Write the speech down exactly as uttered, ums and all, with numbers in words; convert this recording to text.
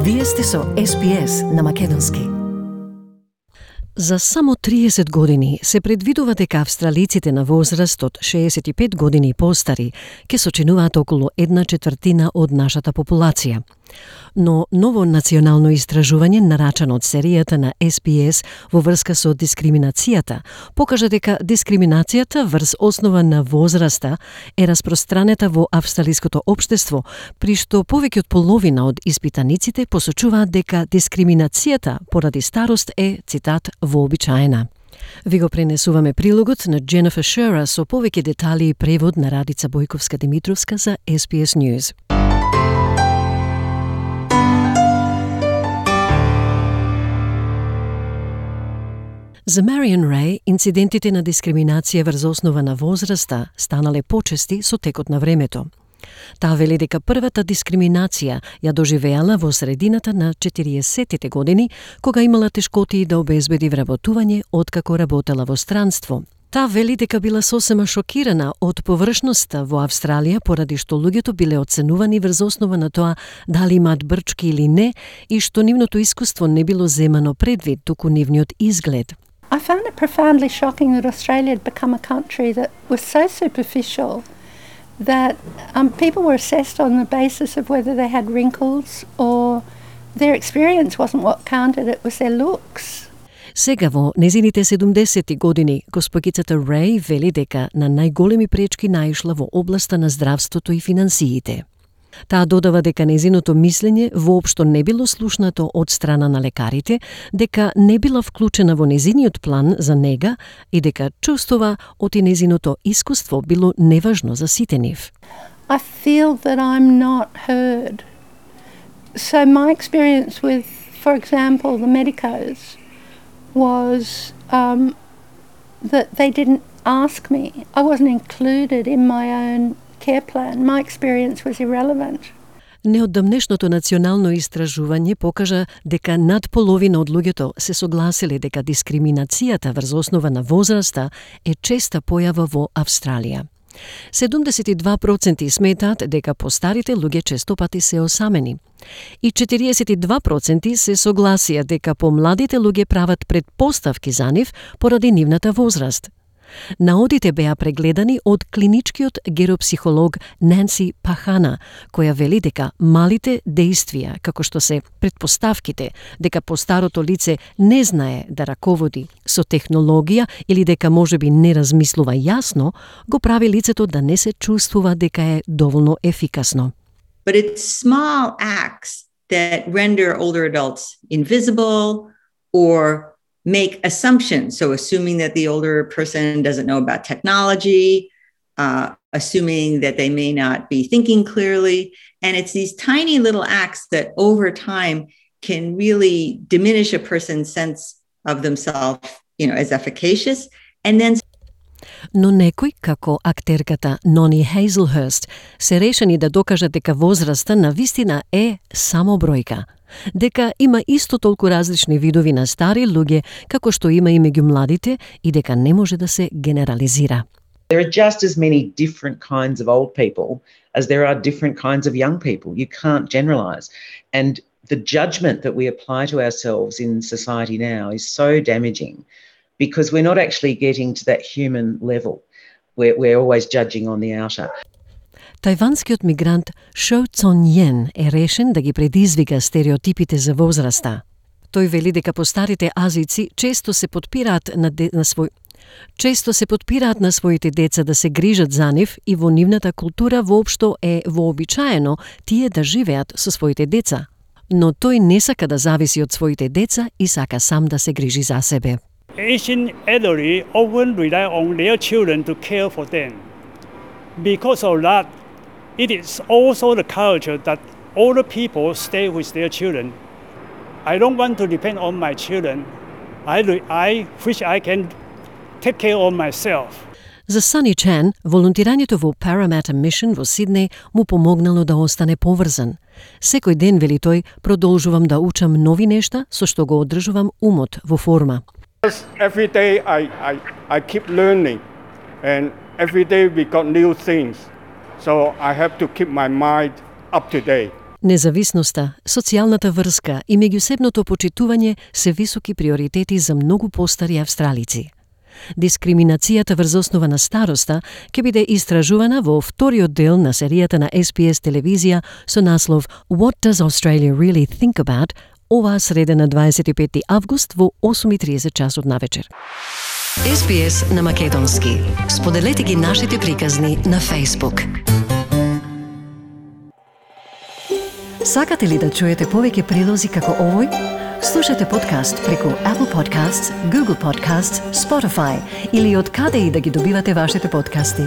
Вие сте со Ес Би Ес на македонски. За само триесет години се предвидува дека австралиците на возраст од шеесет и пет години и постари ќе сочинуваат околу една четвртина од нашата популација. Но ново национално истражување нарачано од серијата на Ес Би Ес во врска со дискриминацијата покажа дека дискриминацијата врз основа на возраста е распространета во австралиското општество, при што повеќе од половина од испитаниците посочуваат дека дискриминацијата поради старост е, цитат, вообичаена. Ви го пренесуваме прилогот на Дженефер Шера со повеќе детали и превод на Радица Бојковска-Димитровска за Ес Би Ес News. За Мариан Рей, инцидентите на дискриминација врз основа на возраста станале почести со текот на времето. Таа вели дека првата дискриминација ја доживеала во средината на четириесеттите години, кога имала тешкоти да обезбеди вработување откако работела во странство. Таа вели дека била сосема шокирана од површноста во Австралија поради што луѓето биле оценувани врз основа на тоа дали имаат брчки или не и што нивното искуство не било земано предвид, туку нивниот изглед. I found it profoundly shocking that Australia had become a country that was so superficial that um, people were assessed on the basis of whether they had wrinkles or their experience wasn't what counted, it was their looks. Сега во незините седумдесети години, госпогицата Рей вели дека на најголеми пречки наишла во областа на здравството и финансиите. Таа додава дека незиното мислење воопшто не било слушнато од страна на лекарите, дека не била вклучена во незиниот план за нега и дека чувствува оти незиното искуство било неважно за сите нив. I feel that I'm not heard. So my experience with, for example, the medicos was um, that they didn't ask me. I wasn't included in my own care plan. My experience was irrelevant. Неодамнешното национално истражување покажа дека над половина од луѓето се согласиле дека дискриминацијата врз основа на возраста е честа појава во Австралија. седумдесет и два проценти сметаат дека постарите луѓе често пати се осамени. И четириесет и два проценти се согласија дека помладите луѓе прават претпоставки за нив поради нивната возраст. Наодите беа прегледани од клиничкиот геропсихолог Нанси Пахана, која вели дека малите дејствија, како што се претпоставките, дека постарото лице не знае да раководи со технологија или дека можеби не размислува јасно, го прави лицето да не се чувствува дека е доволно ефикасно. But it's small acts that render older adults invisible or make assumptions. So assuming that the older person doesn't know about technology, uh, assuming that they may not be thinking clearly. And it's these tiny little acts that over time can really diminish a person's sense of themselves, you know, as efficacious. And then Но некои, како актерката Нони Хейзелхърст, се решени да докажат дека возраста на вистина е само бројка. Дека има исто толку различни видови на стари луѓе, како што има и меѓу младите, и дека не може да се генерализира. There are just as many different kinds of old people as there are different kinds of young people. You can't generalize. And the judgment that we apply to ourselves in society now is so damaging because we're not actually getting to that human level. We're, we're always judging on the outer. Тајванскиот мигрант Шоу Цон Йен е решен да ги предизвика стереотипите за возраста. Тој вели дека постарите азици често се подпираат на, де, на свој често се подпираат на своите деца да се грижат за нив и во нивната култура воопшто е вообичаено тие да живеат со своите деца. Но тој не сака да зависи од своите деца и сака сам да се грижи за себе. Asian elderly often rely on their children to care for them. Because of that, it is also the culture that older people stay with their children. I don't want to depend on my children. I, I wish I can take care of myself. За Сани Чен, волонтирањето во Parramatta Mission во Сиднеј му помогнало да остане поврзан. Секој ден, вели тој, продолжувам да учам нови нешта со што го одржувам умот во форма. Every day I, I, I keep learning and every day we got new things. So I have to keep my mind up to date. Независноста, социјалната врска и меѓусебното почитување се високи приоритети за многу постари австралици. Дискриминацијата врз основа на староста ќе биде истражувана во вториот дел на серијата на Ес Би Ес телевизија со наслов What Does Australia Really Think About? Оваа среда на дваесет и пети август во осум и триесет часот навечер. Ес Би Ес на македонски. Споделете ги нашите приказни на Facebook. Сакате ли да чуете повеќе прилози како овој? Слушате подкаст преку Apple Podcasts, Google Podcasts, Spotify или од каде и да ги добивате вашите подкасти.